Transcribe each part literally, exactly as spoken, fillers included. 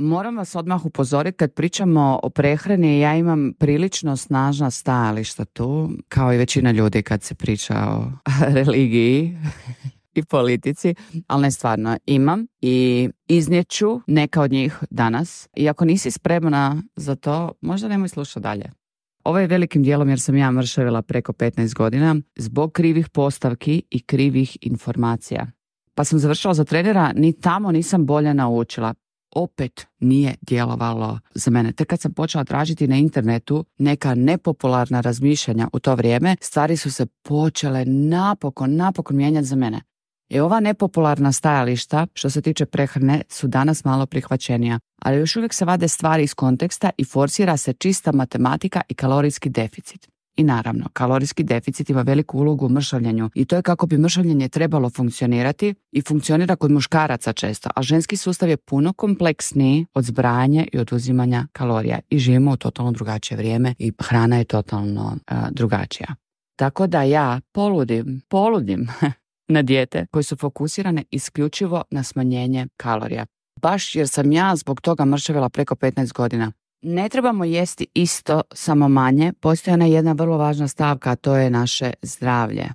Moram vas odmah upozoriti, kad pričamo o prehrani, ja imam prilično snažna stajališta tu, kao i većina ljudi kad se priča o religiji i politici, ali ne stvarno, imam i iznijeću neka od njih danas. I ako nisi spremna za to, možda nemoj slušati dalje. Ovo je velikim dijelom jer sam ja mršavila preko petnaest godina zbog krivih postavki i krivih informacija. Pa sam završila za trenera, ni tamo nisam bolje naučila. Opet nije djelovalo za mene. Tek kad sam počela tražiti na internetu neka nepopularna razmišljanja u to vrijeme, stvari su se počele napokon, napokon mijenjati za mene. I ova nepopularna stajališta što se tiče prehrane su danas malo prihvaćenija, ali još uvijek se vade stvari iz konteksta i forsira se čista matematika i kalorijski deficit. I naravno, kalorijski deficit ima veliku ulogu u mršavljenju i to je kako bi mršavljenje trebalo funkcionirati i funkcionira kod muškaraca često, a ženski sustav je puno kompleksniji od zbrajanja i oduzimanja kalorija i živimo u totalno drugačije vrijeme i hrana je totalno uh, drugačija. Tako da ja poludim, poludim na dijete koje su fokusirane isključivo na smanjenje kalorija. Baš jer sam ja zbog toga mršavila preko petnaest godina. Ne trebamo jesti isto, samo manje. Postoji ona jedna vrlo važna stavka, a to je naše zdravlje.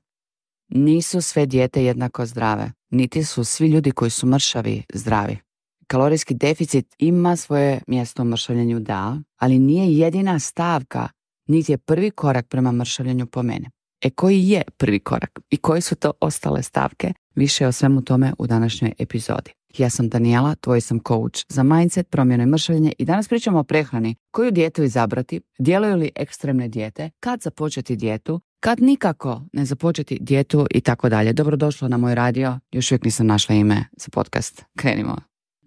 Nisu sve dijete jednako zdrave, niti su svi ljudi koji su mršavi zdravi. Kalorijski deficit ima svoje mjesto u mršavljenju, da, ali nije jedina stavka, niti je prvi korak prema mršavljenju po mene. E koji je prvi korak i koji su to ostale stavke? Više o svemu tome u današnjoj epizodi. Ja sam Daniela, tvoj sam coach za mindset, promjenu i mršavljenje i danas pričamo o prehrani. Koju dijetu izabrati, djeluju li ekstremne dijete, kad započeti dijetu, kad nikako ne započeti dijetu i tako dalje. Dobrodošlo na moj radio, još uvijek nisam našla ime za podcast. Krenimo.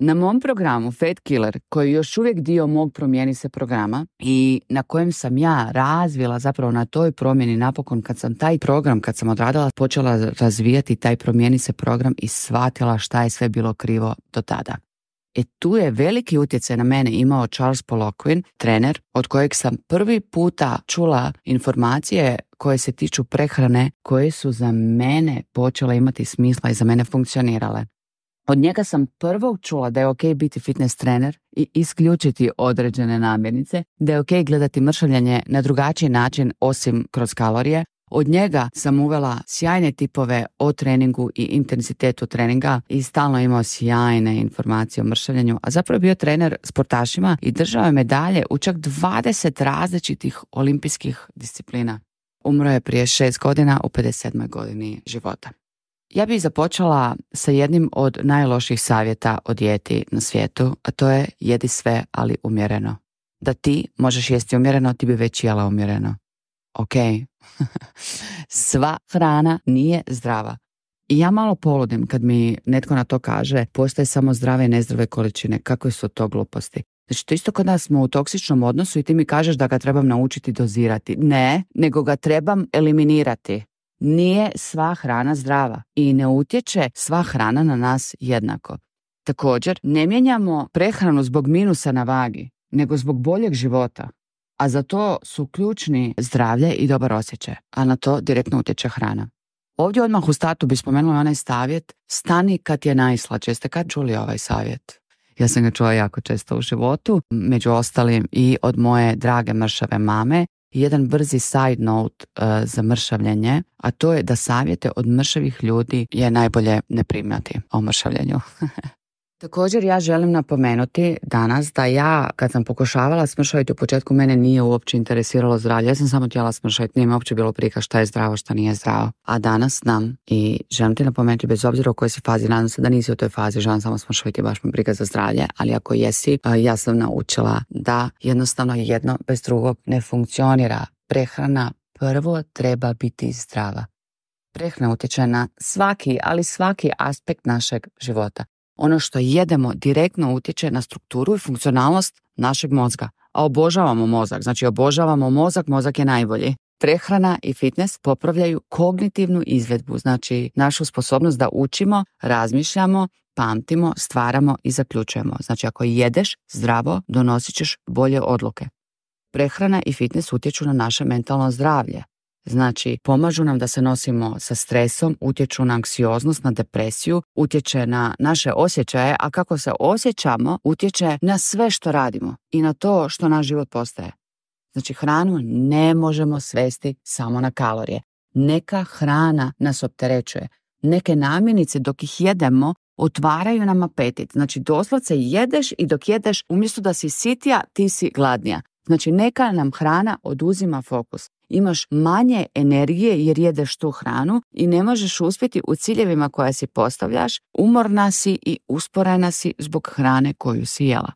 Na mom programu Fat Killer, koji je još uvijek dio mog Promijeni se programa i na kojem sam ja razvila zapravo na toj promjeni napokon kad sam taj program, kad sam odradila, počela razvijati taj Promijeni se program i shvatila šta je sve bilo krivo do tada. E tu je veliki utjecaj na mene imao Charles Poliquin, trener, od kojeg sam prvi puta čula informacije koje se tiču prehrane, koje su za mene počele imati smisla i za mene funkcionirale. Od njega sam prvo čula da je ok biti fitness trener i isključiti određene namirnice, da je ok gledati mršavljenje na drugačiji način osim kroz kalorije. Od njega sam uvela sjajne tipove o treningu i intenzitetu treninga i stalno imao sjajne informacije o mršavljenju, a zapravo je bio trener sportašima i držao je medalje u čak dvadeset različitih olimpijskih disciplina. Umro je prije šest godina u pedeset sedmoj godini života. Ja bih započela sa jednim od najloših savjeta o dijeti na svijetu, a to je jedi sve, ali umjereno. Da ti možeš jesti umjereno, ti bi već jela umjereno. Ok, sva hrana nije zdrava. I ja malo poludim kad mi netko na to kaže, postoje samo zdrave i nezdrave količine. Kakve su to gluposti? Znači, to isto kod nas smo u toksičnom odnosu i ti mi kažeš da ga trebam naučiti dozirati. Ne, nego ga trebam eliminirati. Nije sva hrana zdrava i ne utječe sva hrana na nas jednako. Također, ne mijenjamo prehranu zbog minusa na vagi, nego zbog boljeg života. A za to su ključni zdravlje i dobar osjećaj, a na to direktno utječe hrana. Ovdje odmah u startu bi spomenula onaj savjet, stani kad je najslađe. Jeste kad čuli ovaj savjet? Ja sam ga čula jako često u životu, među ostalim i od moje drage mršave mame. Jedan brzi side note uh, za mršavljenje, a to je da savjete od mršavih ljudi je najbolje ne primati o mršavljenju. Također ja želim napomenuti danas da ja kad sam pokušavala smršaviti u početku mene nije uopće interesiralo zdravlje. Ja sam samo htjela smršaviti, nije mi uopće bilo prika šta je zdravo, šta nije zdravo. A danas znam i želim ti napomenuti bez obzira u kojoj si fazi, nadam se da nisi u toj fazi, želim samo smršaviti, baš me briga za zdravlje, ali ako jesi, ja sam naučila da jednostavno jedno bez drugog ne funkcionira. Prehrana prvo treba biti zdrava. Prehrana utječe na svaki, ali svaki aspekt našeg života. Ono što jedemo direktno utječe na strukturu i funkcionalnost našeg mozga. A obožavamo mozak, znači obožavamo mozak, mozak je najbolji. Prehrana i fitness popravljaju kognitivnu izvedbu, znači našu sposobnost da učimo, razmišljamo, pamtimo, stvaramo i zaključujemo. Znači ako jedeš zdravo, donosit ćeš bolje odluke. Prehrana i fitness utječu na naše mentalno zdravlje. Znači, pomažu nam da se nosimo sa stresom, utječu na anksioznost, na depresiju, utječe na naše osjećaje, a kako se osjećamo, utječe na sve što radimo i na to što naš život postaje. Znači, hranu ne možemo svesti samo na kalorije. Neka hrana nas opterećuje. Neke namirnice dok ih jedemo otvaraju nam apetit. Znači, doslovce jedeš i dok jedeš, umjesto da si sitija, ti si gladnija. Znači, neka nam hrana oduzima fokus. Imaš manje energije jer jedeš tu hranu i ne možeš uspjeti u ciljevima koje si postavljaš, umorna si i usporena si zbog hrane koju si jela.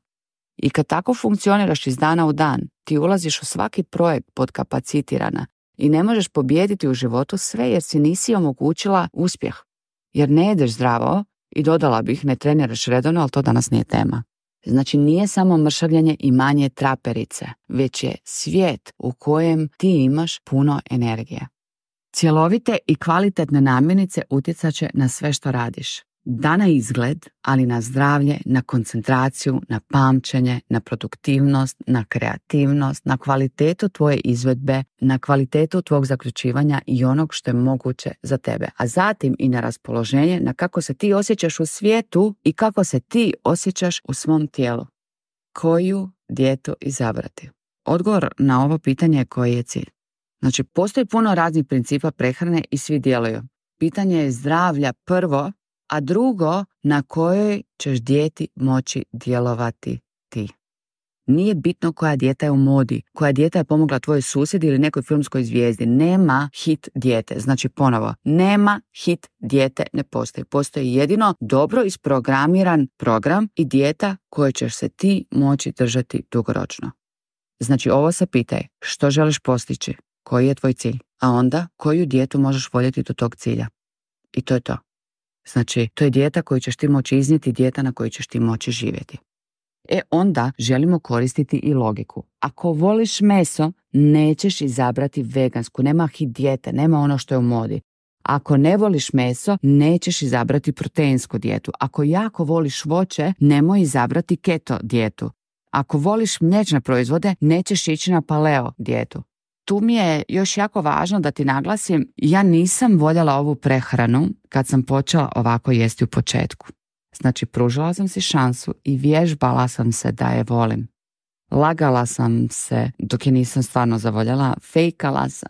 I kad tako funkcioniraš iz dana u dan, ti ulaziš u svaki projekt podkapacitirana i ne možeš pobijediti u životu sve jer si nisi omogućila uspjeh. Jer ne jedeš zdravo i dodala bih ne treniraš redovno, ali to danas nije tema. Znači, nije samo mršavljanje i manje traperice, već je svijet u kojem ti imaš puno energije. Cjelovite i kvalitetne namirnice utjecat će na sve što radiš. Da na izgled, ali na zdravlje, na koncentraciju, na pamćenje, na produktivnost, na kreativnost, na kvalitetu tvoje izvedbe, na kvalitetu tvog zaključivanja i onog što je moguće za tebe. A zatim i na raspoloženje, na kako se ti osjećaš u svijetu i kako se ti osjećaš u svom tijelu. Koju dijetu izabrati? Odgovor na ovo pitanje je koji je cilj. Znači, postoji puno raznih principa prehrane i svi djeluju. Pitanje je zdravlja prvo, a drugo, na kojoj ćeš dijeti moći djelovati ti. Nije bitno koja dijeta je u modi, koja dijeta je pomogla tvojoj susjedi ili nekoj filmskoj zvijezdi. Nema hit dijete. Znači, ponovo, nema hit dijete, ne postoji. Postoji jedino dobro isprogramiran program i dijeta koje ćeš se ti moći držati dugoročno. Znači, ovo se pitaj, što želiš postići, koji je tvoj cilj, a onda koju dijetu možeš voljeti do tog cilja. I to je to. Znači, to je dijeta koju ćeš ti moći iznijeti, dijeta na koju ćeš ti moći živjeti. E onda želimo koristiti i logiku. Ako voliš meso, nećeš izabrati vegansku, nema hit dijete, nema ono što je u modi. Ako ne voliš meso, nećeš izabrati proteinsku dijetu. Ako jako voliš voće, nemoj izabrati keto dijetu. Ako voliš mliječne proizvode, nećeš ići na paleo dijetu. Tu mi je još jako važno da ti naglasim, ja nisam voljela ovu prehranu kad sam počela ovako jesti u početku. Znači, pružila sam si šansu i vježbala sam se da je volim. Lagala sam se dok je nisam stvarno zavoljela, fejkala sam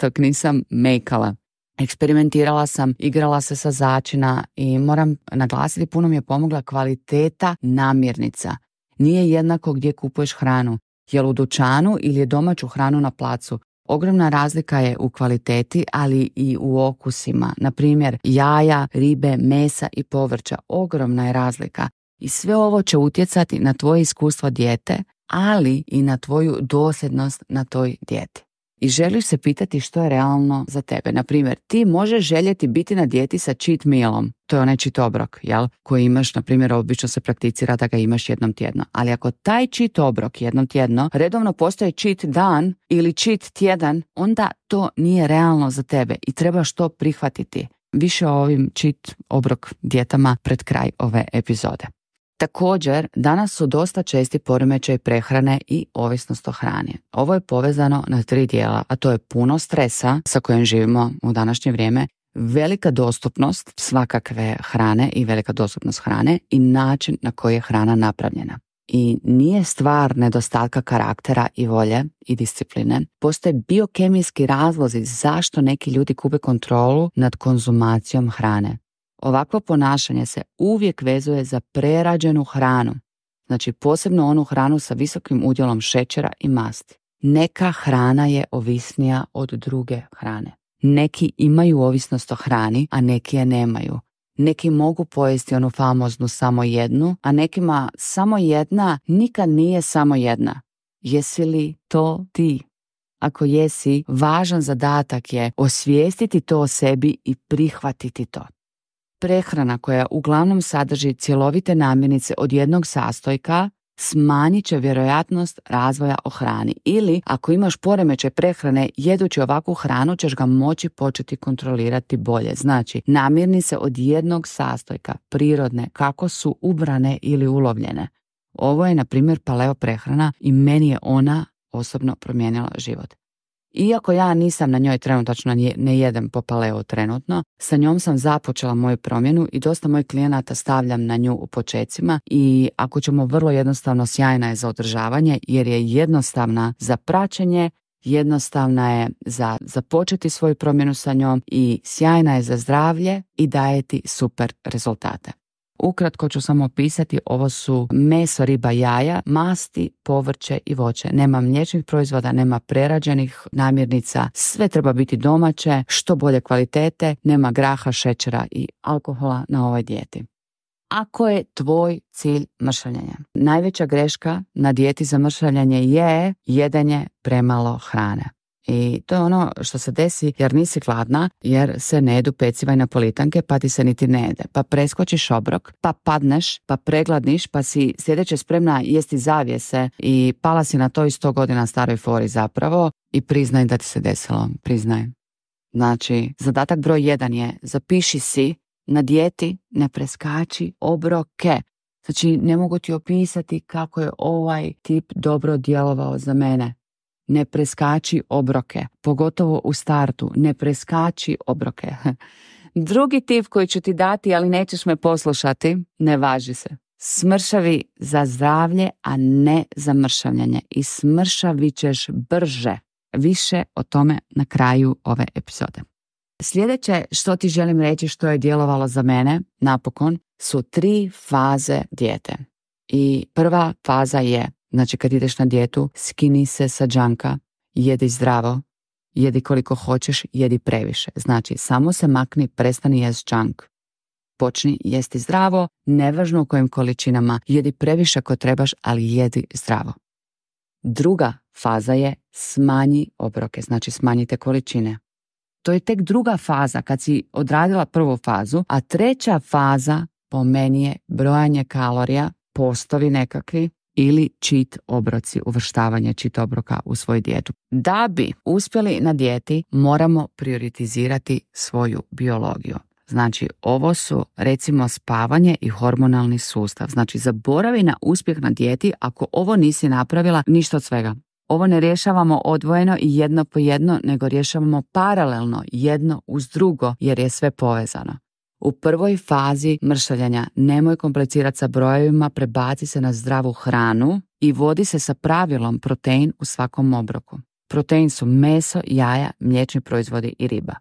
dok nisam mejkala. Eksperimentirala sam, igrala se sa začina i moram naglasiti, puno mi je pomogla kvaliteta namirnica. Nije jednako gdje kupuješ hranu. Je li u dućanu ili je domaću hranu na placu. Ogromna razlika je u kvaliteti, ali i u okusima. Na primjer, jaja, ribe, mesa i povrća. Ogromna je razlika. I sve ovo će utjecati na tvoje iskustvo dijete, ali i na tvoju dosljednost na toj dijeti. I želiš se pitati što je realno za tebe. Na primjer, ti možeš željeti biti na dijeti sa cheat mealom. To je onaj cheat obrok, jel? Koji imaš, na primjer, obično se prakticira da ga imaš jednom tjedno. Ali ako taj cheat obrok jednom tjedno redovno postoji cheat dan ili cheat tjedan, onda to nije realno za tebe i trebaš to prihvatiti. Više o ovim cheat obrok dijetama pred kraj ove epizode. Također, danas su dosta česti poremećaj prehrane i ovisnost o hrani. Ovo je povezano na tri dijela, a to je puno stresa sa kojim živimo u današnje vrijeme, velika dostupnost svakakve hrane i velika dostupnost hrane i način na koji je hrana napravljena. I nije stvar nedostatka karaktera i volje i discipline. Postoje biokemijski razlozi zašto neki ljudi gube kontrolu nad konzumacijom hrane. Ovakvo ponašanje se uvijek vezuje za prerađenu hranu, znači posebno onu hranu sa visokim udjelom šećera i masti. Neka hrana je ovisnija od druge hrane. Neki imaju ovisnost o hrani, a neki je nemaju. Neki mogu pojesti onu famoznu samo jednu, a nekima samo jedna nikad nije samo jedna. Jesi li to ti? Ako jesi, važan zadatak je osvijestiti to o sebi i prihvatiti to. Prehrana koja uglavnom sadrži cjelovite namirnice od jednog sastojka smanjit će vjerojatnost razvoja o hrani. Ili ako imaš poremećaj prehrane, jedući ovakvu hranu ćeš ga moći početi kontrolirati bolje. Znači, namirnice od jednog sastojka, prirodne, kako su ubrane ili ulovljene. Ovo je, na primjer, paleo prehrana i meni je ona osobno promijenila život. Iako ja nisam na njoj trenutačno, ne jedem po paleo trenutno, sa njom sam započela moju promjenu i dosta mojih klijenata stavljam na nju u počecima i ako ćemo vrlo jednostavno, sjajna je za održavanje jer je jednostavna za praćenje, jednostavna je za započeti svoju promjenu sa njom i sjajna je za zdravlje i daje ti super rezultate. Ukratko ću samo opisati, ovo su meso, riba, jaja, masti, povrće i voće. Nema mliječnih proizvoda, nema prerađenih namirnica, sve treba biti domaće, što bolje kvalitete, nema graha, šećera i alkohola na ovoj dijeti. Ako je tvoj cilj mršavljenje, najveća greška na dijeti za mršavljenje je jedenje premalo hrane. I to je ono što se desi jer nisi gladna, jer se ne jedu peciva i napolitanke, pa ti se niti ne jede. Pa preskočiš obrok, pa padneš, pa pregladniš, pa si sljedeće spremna jesti zavjese i pala si na to i sto godina staroj fori zapravo i priznaj da ti se desilo. Priznaj. Znači, zadatak broj jedan je zapiši si na dijeti ne preskači obroke. Znači, ne mogu ti opisati kako je ovaj tip dobro djelovao za mene. Ne preskači obroke, pogotovo u startu, ne preskači obroke. Drugi tip koji ću ti dati, ali nećeš me poslušati, ne važi se. Smršavi za zdravlje, a ne za mršavljanje. I smršavit ćeš brže. Više o tome na kraju ove epizode. Sljedeće što ti želim reći što je djelovalo za mene, napokon, su tri faze dijete. I prva faza je, znači kad ideš na dijetu, skini se sa džanka, jedi zdravo, jedi koliko hoćeš, jedi previše. Znači, samo se makni, prestani jest džank. Počni jesti zdravo, nevažno u kojim količinama, jedi previše ako trebaš, ali jedi zdravo. Druga faza je smanji obroke, znači smanjite količine. To je tek druga faza kad si odradila prvu fazu, a treća faza po meni je brojanje kalorija, postovi nekakvi ili cheat obroci, uvrštavanje cheat obroka u svoju dijetu. Da bi uspjeli na dijeti, moramo prioritizirati svoju biologiju. Znači, ovo su recimo spavanje i hormonalni sustav. Znači, zaboravi na uspjeh na dijeti ako ovo nisi napravila, ništa od svega. Ovo ne rješavamo odvojeno i jedno po jedno, nego rješavamo paralelno jedno uz drugo jer je sve povezano. U prvoj fazi mršavljenja nemoj komplicirati sa brojevima, prebaci se na zdravu hranu i vodi se sa pravilom protein u svakom obroku. Protein su meso, jaja, mliječni proizvodi i riba.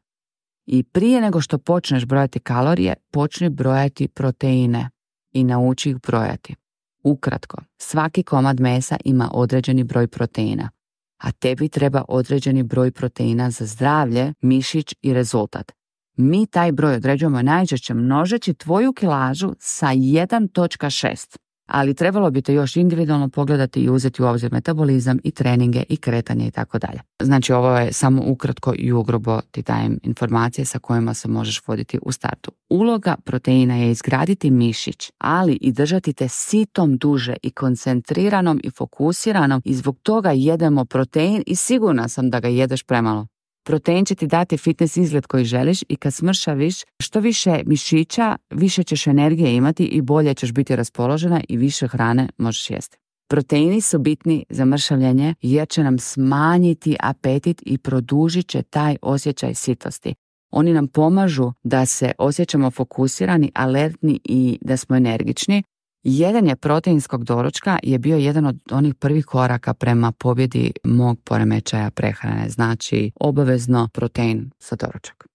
I prije nego što počneš brojati kalorije, počni brojati proteine i nauči ih brojati. Ukratko, svaki komad mesa ima određeni broj proteina, a tebi treba određeni broj proteina za zdravlje, mišić i rezultat. Mi taj broj određujemo najčešće množeći tvoju kilažu sa jedan zarez šest, ali trebalo bi te još individualno pogledati i uzeti u obzir metabolizam i treninge i kretanje i tako dalje. Znači, ovo je samo ukratko i ugrubo ti dajem informacije sa kojima se možeš voditi u startu. Uloga proteina je izgraditi mišić, ali i držati te sitom duže i koncentriranom i fokusiranom i zbog toga jedemo protein i sigurna sam da ga jedeš premalo. Protein će ti dati fitness izgled koji želiš i kad smršaviš, što više mišića, više ćeš energije imati i bolje ćeš biti raspoložena i više hrane možeš jesti. Proteini su bitni za mršavljenje jer će nam smanjiti apetit i produžit će taj osjećaj sitosti. Oni nam pomažu da se osjećamo fokusirani, alertni i da smo energični. Jedenje proteinskog doručka je bio jedan od onih prvih koraka prema pobjedi mog poremećaja prehrane, znači obavezno protein za doručak.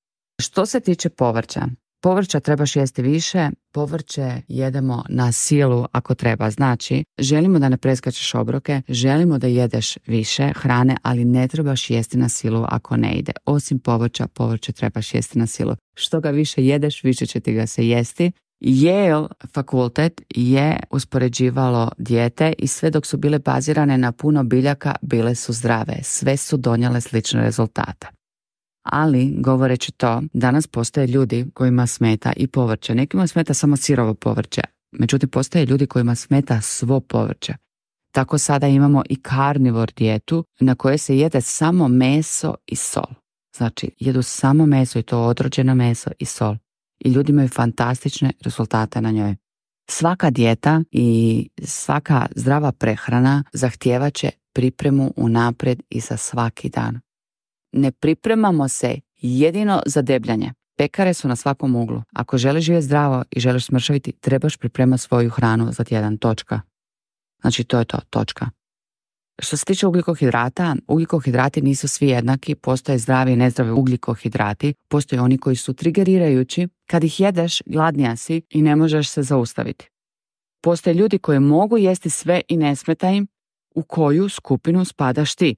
Što se tiče povrća, povrća trebaš jesti više, povrće jedemo na silu ako treba, znači želimo da ne preskačeš obroke, želimo da jedeš više hrane, ali ne trebaš jesti na silu ako ne ide. Osim povrća, povrće trebaš jesti na silu. Što ga više jedeš, više će ti ga se jesti. Yale fakultet je uspoređivalo dijete i sve dok su bile bazirane na puno biljaka, bile su zdrave. Sve su donijele slične rezultate. Ali, govoreći to, danas postoje ljudi kojima smeta i povrće. Nekima smeta samo sirovo povrće. Međutim, postoje ljudi kojima smeta svo povrće. Tako sada imamo i karnivor dijetu na kojoj se jede samo meso i sol. Znači, jedu samo meso i to odrođeno meso i sol. I ljudi imaju fantastične rezultate na njoj. Svaka dijeta i svaka zdrava prehrana zahtijevat će pripremu unaprijed i za svaki dan. Ne pripremamo se jedino za debljanje. Pekare su na svakom uglu. Ako želiš živjeti zdravo i želiš smršaviti, trebaš pripremati svoju hranu za tjedan. Točka. Znači to je to. Točka. Što se tiče ugljikohidrata, ugljikohidrati nisu svi jednaki, postoje zdravi i nezdravi ugljikohidrati, postoje oni koji su trigerirajući, kad ih jedeš gladnija si i ne možeš se zaustaviti. Postoje ljudi koji mogu jesti sve i ne smeta im, u koju skupinu spadaš ti.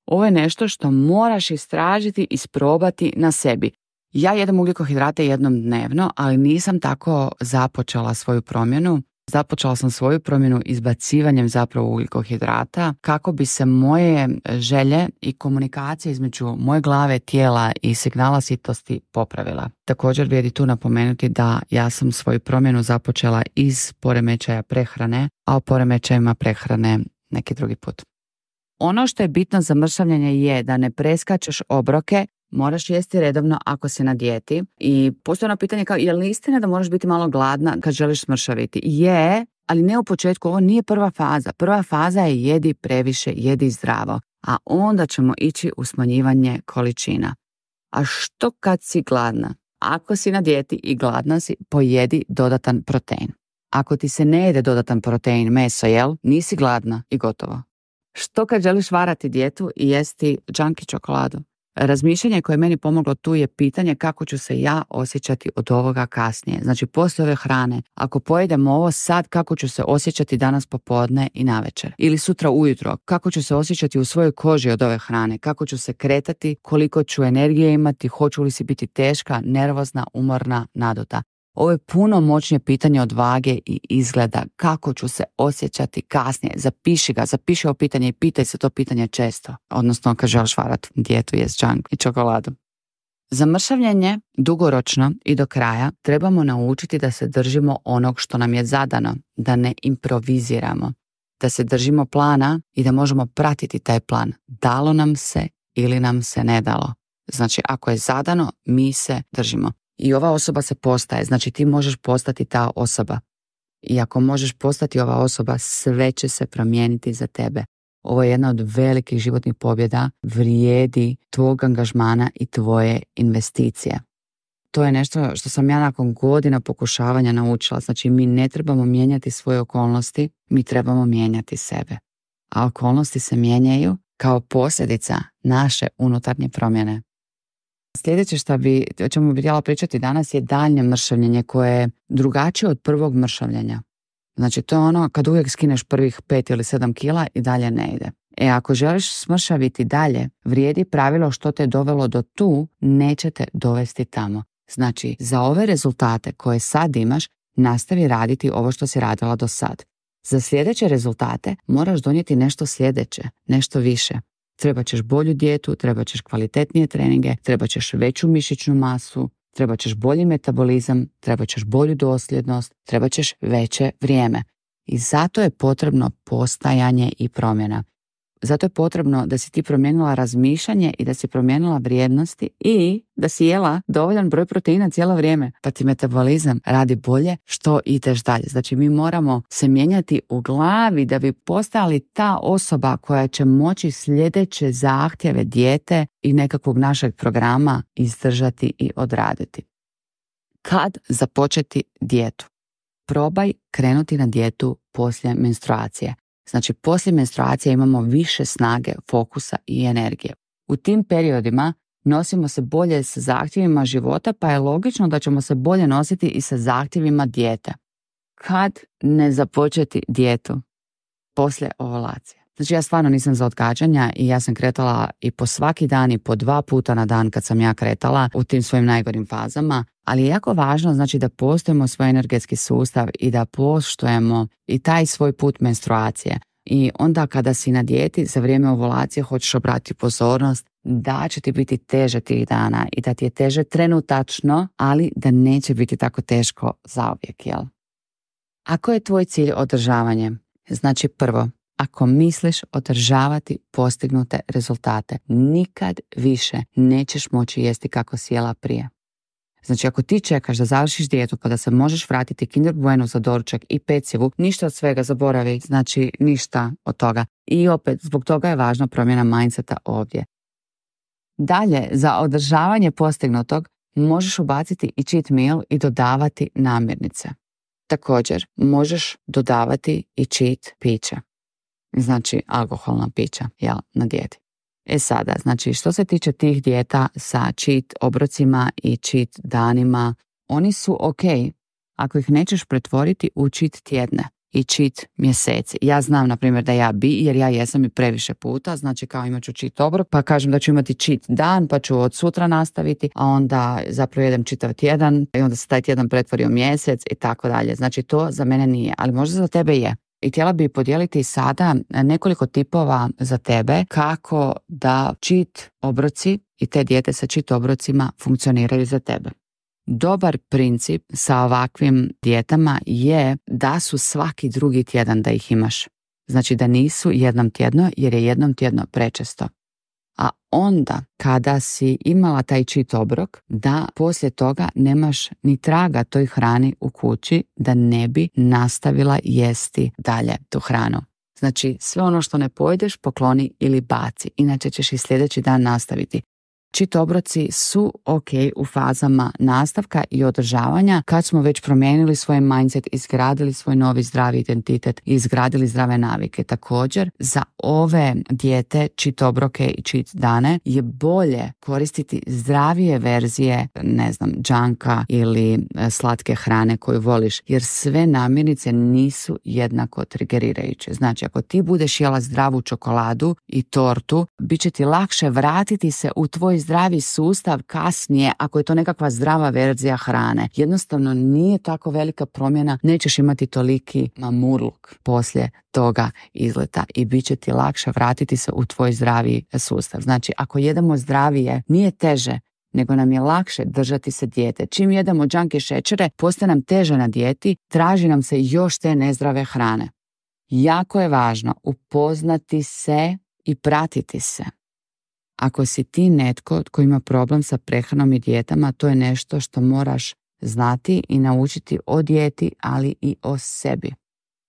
Ovo je nešto što moraš istražiti i isprobati na sebi. Ja jedem ugljikohidrate jednom dnevno, ali nisam tako započela svoju promjenu. Započela sam svoju promjenu izbacivanjem zapravo ugljikohidrata kako bi se moje želje i komunikacija između moje glave, tijela i signala sitosti popravila. Također vrijedi tu napomenuti da ja sam svoju promjenu započela iz poremećaja prehrane, a o poremećajima prehrane neki drugi put. Ono što je bitno za mršavljenje je da ne preskačeš obroke, moraš jesti redovno ako si na dijeti. I postoje ono pitanje kao, je li istina da moraš biti malo gladna kad želiš smršaviti? Je, ali ne u početku, ovo nije prva faza. Prva faza je jedi previše, jedi zdravo, a onda ćemo ići u smanjivanje količina. A što kad si gladna? Ako si na dijeti i gladna si, pojedi dodatan protein. Ako ti se ne jede dodatan protein, meso, jel? Nisi gladna i gotovo. Što kad želiš varati dijetu i jesti junk i čokoladu? Razmišljanje koje je meni pomoglo tu je pitanje kako ću se ja osjećati od ovoga kasnije. Znači, poslije ove hrane, ako pojedem ovo sad, kako ću se osjećati danas popodne i navečer? Ili sutra ujutro, kako ću se osjećati u svojoj koži od ove hrane? Kako ću se kretati? Koliko ću energije imati? Hoću li si biti teška, nervozna, umorna, naduta? Ovo je puno moćnije pitanje od vage i izgleda. Kako ću se osjećati kasnije? Zapiši ga, zapiši ovo pitanje i pitaj se to pitanje često. Odnosno kad želiš varati dijetu, jest junk i čokoladu. Za mršavljenje dugoročno i do kraja trebamo naučiti da se držimo onog što nam je zadano, da ne improviziramo, da se držimo plana i da možemo pratiti taj plan. Dalo nam se ili nam se ne dalo. Znači, ako je zadano, mi se držimo. I ova osoba se postaje, znači ti možeš postati ta osoba. I ako možeš postati ova osoba, sve će se promijeniti za tebe. Ovo je jedna od velikih životnih pobjeda, vrijedi tvog angažmana i tvoje investicije. To je nešto što sam ja nakon godina pokušavanja naučila. Znači, mi ne trebamo mijenjati svoje okolnosti, mi trebamo mijenjati sebe. A okolnosti se mijenjaju kao posljedica naše unutarnje promjene. Sljedeće što bi, o čemu bi htjela pričati danas je daljnje mršavljenje koje je drugačije od prvog mršavljenja. Znači, to je ono kad uvijek skineš prvih pet ili sedam kila i dalje ne ide. E, ako želiš smršaviti dalje, vrijedi pravilo što te dovelo do tu, neće te dovesti tamo. Znači, za ove rezultate koje sad imaš, nastavi raditi ovo što si radila do sad. Za sljedeće rezultate moraš donijeti nešto sljedeće, nešto više. Trebat ćeš bolju dijetu, trebat ćeš kvalitetnije treninge, trebat ćeš veću mišićnu masu, trebat ćeš bolji metabolizam, trebat ćeš bolju dosljednost, trebat ćeš veće vrijeme. I zato je potrebno postajanje i promjena. Zato je potrebno da si ti promijenila razmišljanje i da si promijenila vrijednosti i da si jela dovoljan broj proteina cijelo vrijeme, pa ti metabolizam radi bolje što ideš dalje. Znači, mi moramo se mijenjati u glavi da bi postali ta osoba koja će moći sljedeće zahtjeve dijete i nekakvog našeg programa izdržati i odraditi. Kad započeti dijetu? Probaj krenuti na dijetu poslije menstruacije. Znači, poslije menstruacije imamo više snage, fokusa i energije. U tim periodima nosimo se bolje sa zahtjevima života, pa je logično da ćemo se bolje nositi i sa zahtjevima dijete. Kad ne započeti dijetu? Poslije ovulacije. Znači, ja stvarno nisam za odgađanja i ja sam kretala i po svaki dan i po dva puta na dan kad sam ja kretala u tim svojim najgorim fazama, ali je jako važno, znači, da poštujemo svoj energetski sustav i da poštujemo i taj svoj put menstruacije. I onda kada si na dijeti za vrijeme ovulacije hoćeš obratiti pozornost da će ti biti teže tih dana i da ti je teže trenutačno, ali da neće biti tako teško zauvijek, jel? Ako je tvoj cilj održavanje, znači prvo, ako misliš održavati postignute rezultate, nikad više nećeš moći jesti kako si jela prije. Znači, ako ti čekaš da završiš dijetu pa da se možeš vratiti Kinder Bueno za doručak i pecivu, ništa od svega zaboravi, znači ništa od toga. I opet, zbog toga je važna promjena mindseta ovdje. Dalje, za održavanje postignutog možeš ubaciti i cheat meal i dodavati namirnice. Također, možeš dodavati i cheat pića. Znači, alkoholna pića, jel, na dijeti. E sada, znači, što se tiče tih dijeta sa cheat obrocima i cheat danima, oni su ok ako ih nećeš pretvoriti u cheat tjedne i cheat mjeseci. Ja znam, na primjer, da ja bi, jer ja jesam i previše puta, znači kao imat ću cheat obrok, pa kažem da ću imati cheat dan, pa ću od sutra nastaviti, a onda zapravo jedem čitav tjedan i onda se taj tjedan pretvori u mjesec i tako dalje. Znači, to za mene nije, ali možda za tebe je. I htjela bi podijeliti sada nekoliko tipova za tebe kako da cheat obroci i te dijete sa cheat obrocima funkcioniraju za tebe. Dobar princip sa ovakvim dijetama je da su svaki drugi tjedan da ih imaš. Znači da nisu jednom tjedno, jer je jednom tjedno prečesto. A onda kada si imala taj cheat obrok, da poslije toga nemaš ni traga toj hrani u kući, da ne bi nastavila jesti dalje tu hranu. Znači sve ono što ne pojedeš pokloni ili baci, inače ćeš i sljedeći dan nastaviti. Cheat obroci su ok u fazama nastavka i održavanja kad smo već promijenili svoj mindset, izgradili svoj novi zdravi identitet i izgradili zdrave navike. Također, za ove dijete, cheat obroke i cheat dane je bolje koristiti zdravije verzije, ne znam, džanka ili slatke hrane koju voliš, jer sve namirnice nisu jednako trigerirajuće. Znači, ako ti budeš jela zdravu čokoladu i tortu, bit će ti lakše vratiti se u tvoj zdravi sustav kasnije ako je to nekakva zdrava verzija hrane. Jednostavno nije tako velika promjena, nećeš imati toliki mamurluk poslije toga izleta i bit će ti lakše vratiti se u tvoj zdravi sustav. Znači, ako jedemo zdravije, nije teže, nego nam je lakše držati se dijete. Čim jedemo džank i šećere, postaje nam teže na dijeti, traži nam se još te nezdrave hrane. Jako je važno upoznati se i pratiti se. Ako si ti netko tko ima problem sa prehranom i dijetama, to je nešto što moraš znati i naučiti o dijeti, ali i o sebi.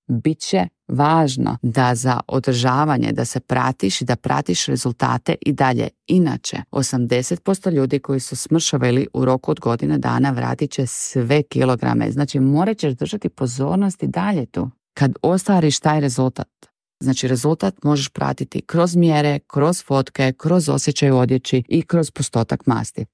Biće važno da za održavanje, da se pratiš i da pratiš rezultate i dalje. Inače, osamdeset posto ljudi koji su smršavili u roku od godine dana vratit će sve kilograme. Znači, morat ćeš držati pozornost i dalje tu. Kad ostvariš taj rezultat, znači rezultat možeš pratiti kroz mjere, kroz fotke, kroz osjećaj u odjeći i kroz postotak masti.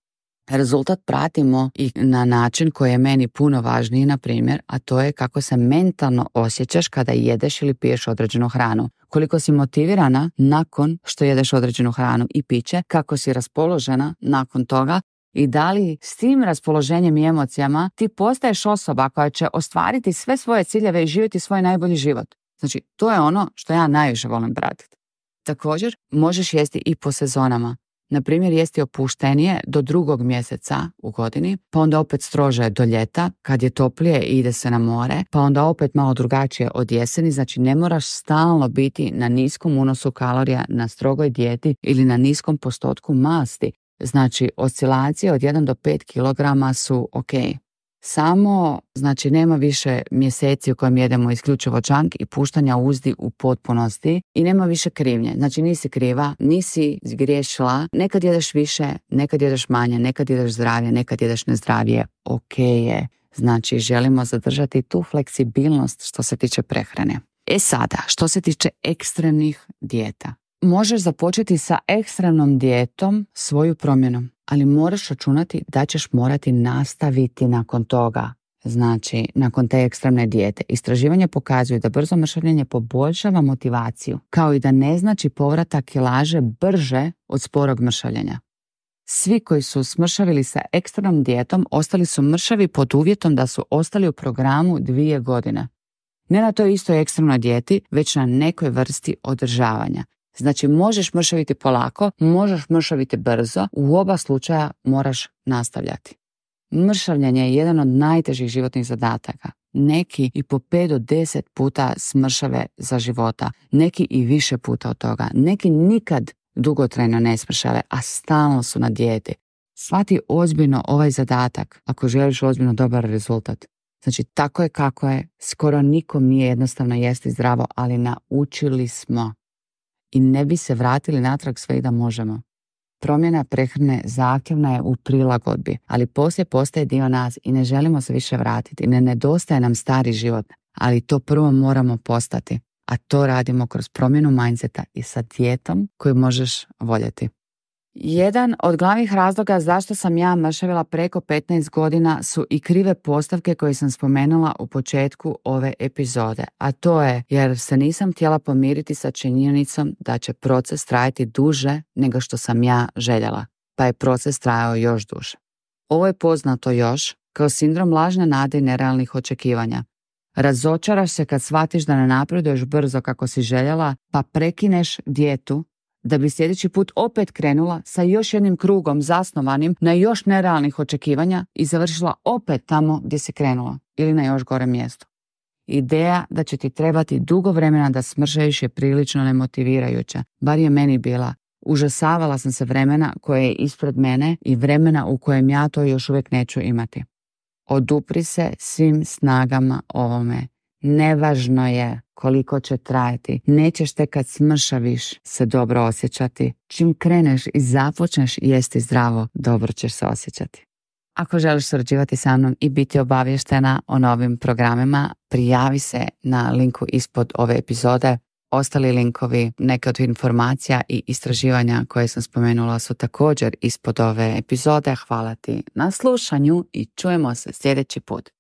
Rezultat pratimo i na način koji je meni puno važniji, na primjer, a to je kako se mentalno osjećaš kada jedeš ili piješ određenu hranu. Koliko si motivirana nakon što jedeš određenu hranu i piće, kako si raspoložena nakon toga i da li s tim raspoloženjem i emocijama ti postaješ osoba koja će ostvariti sve svoje ciljeve i živjeti svoj najbolji život. Znači, to je ono što ja najviše volim pratiti. Također, možeš jesti i po sezonama. Na primjer, jesti opuštenije do drugog mjeseca u godini, pa onda opet strože do ljeta, kad je toplije i ide se na more, pa onda opet malo drugačije od jeseni. Znači, ne moraš stalno biti na niskom unosu kalorija, na strogoj dijeti ili na niskom postotku masti. Znači, oscilacije od jedan do pet kilograma su ok. Samo, znači, nema više mjeseci u kojem jedemo isključivo džank i puštanja uzdi u potpunosti i nema više krivnje. Znači, nisi kriva, nisi zgriješila, nekad jedeš više, nekad jedeš manje, nekad jedeš zdravije, nekad jedeš nezdravije, ok je. Znači, želimo zadržati tu fleksibilnost što se tiče prehrane. E sada, što se tiče ekstremnih dijeta. Možeš započeti sa ekstremnom dijetom svoju promjenu, ali moraš računati da ćeš morati nastaviti nakon toga. Znači, nakon te ekstremne dijete. Istraživanje pokazuju da brzo mršavljenje poboljšava motivaciju, kao i da ne znači povratak kilaže brže od sporog mršavljenja. Svi koji su smršavili sa ekstremnom dijetom ostali su mršavi pod uvjetom da su ostali u programu dvije godine. Ne na toj istoj ekstremnoj dijeti, već na nekoj vrsti održavanja. Znači, možeš mršaviti polako, možeš mršaviti brzo, u oba slučaja moraš nastavljati. Mršavljenje je jedan od najtežih životnih zadataka. Neki i po pet do deset puta smršave za života, neki i više puta od toga. Neki nikad dugotrajno ne smršave, a stalno su na dijeti. Shvati ozbiljno ovaj zadatak ako želiš ozbiljno dobar rezultat. Znači, tako je kako je, skoro nikom nije jednostavno jesti zdravo, ali naučili smo. I ne bi se vratili natrag sve i da možemo. promjena prehrane zahtjevna je u prilagodbi, ali poslije postaje dio nas i ne želimo se više vratiti. Ne nedostaje nam stari život, ali to prvo moramo postati. A to radimo kroz promjenu mindseta i sa dijetom koju možeš voljeti. Jedan od glavnih razloga zašto sam ja mršavila preko petnaest godina su i krive postavke koje sam spomenula u početku ove epizode, a to je jer se nisam htjela pomiriti sa činjenicom da će proces trajati duže nego što sam ja željela, pa je proces trajao još duže. Ovo je poznato još kao sindrom lažne nade i nerealnih očekivanja. Razočaraš se kad shvatiš da ne napreduješ brzo kako si željela, pa prekineš dijetu da bi sljedeći put opet krenula sa još jednim krugom zasnovanim na još nerealnih očekivanja i završila opet tamo gdje si krenula ili na još gore mjestu. Ideja da će ti trebati dugo vremena da smršaviš je prilično nemotivirajuća, bar je meni bila. Užasavala sam se vremena koje je ispred mene i vremena u kojem ja to još uvijek neću imati. Odupri se svim snagama ovome. Nevažno je koliko će trajati. Nećeš te kad smršaviš se dobro osjećati. Čim kreneš i započneš jesti zdravo, dobro ćeš se osjećati. Ako želiš surađivati sa mnom i biti obavještena o novim programima, prijavi se na linku ispod ove epizode. Ostali linkovi, neke od informacija i istraživanja koje sam spomenula su također ispod ove epizode. Hvala ti na slušanju i čujemo se sljedeći put.